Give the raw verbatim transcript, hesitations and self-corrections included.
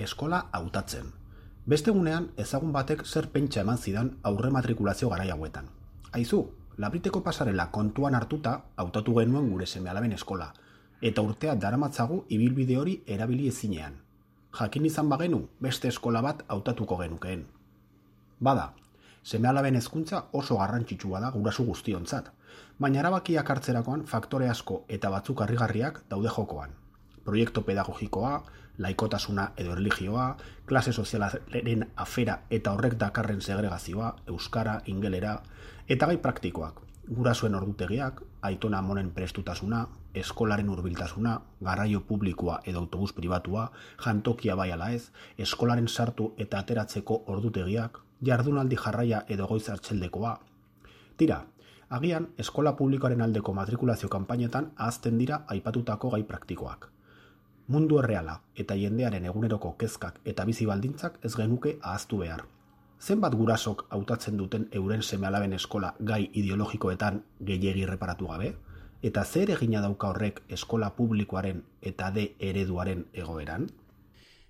eskola hautatzen. Beste egunean ezagun batek zer pentsa eman zidan aurre matrikulazio garai hauetan. Aizu, labriteko pasarela kontuan hartuta hautatu genuen gure seme-alaben eskola, eta urtea daramatzagu ibilbide hori erabili ezinean. Jakin izan bagenu beste eskola bat hautatuko genukeen. Bada, seme-alaben hezkuntza oso garrantzitsua da gurasu guztiontzat, baina erabakiak hartzerakoan faktore asko eta batzuk harrigarriak daude jokoan. Proiektu pedagogikoa, laikotasuna edo erlijioa, klase sozialaren afera eta horrek dakarren segregazioa, euskara, ingelera, eta gai praktikoak, gurasoen ordutegiak, aitona amonen prestutasuna, eskolaren hurbiltasuna, garraio publikoa edo autobus pribatua, jantokia bai ala ez, eskolaren sartu eta ateratzeko ordutegiak, jardunaldi jarraia edo goiz hartzeldekoa. Tira, agian eskola publikoaren aldeko matrikulazio kanpainetan ahazten dira aipatutako gai praktikoak. Mundu erreala eta jendearen eguneroko kezkak eta bizi baldintzak ez genuke ahaztu behar. Zenbat gurasok hautatzen duten euren seme-alaben eskola gai ideologikoetan gehiegi erreparatu gabe? Eta zer egina dauka horrek eskola publikoaren eta de ereduaren egoeran?